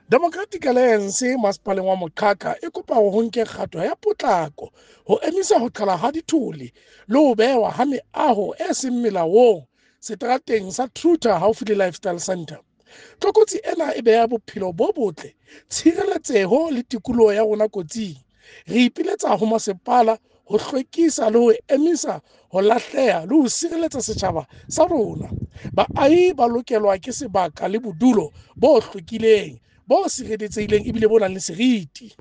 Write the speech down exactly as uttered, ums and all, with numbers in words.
Democratic Alliance masepaleng wa Moqhaka e kopa hore ho nke kgato ya potlako ho emisa ho qhala ha dithole le ho behwa ha meaho e seng melaong seterateng sa Truter haufi le Lifestyle Centre. Tlokotsi ena e beha bophelo bo botle, tshireletseho le tikoloho ya rona kotsing. Re ipiletsa ho masepala ho hlwekisa le ho emisa ho lahleha le ho sireletsa setjhaba sa rona. Baahi ba lokelwa ke sebaka le bodulo bo hlwekileng, bo sireletsehileng ebile bo nang le seriti.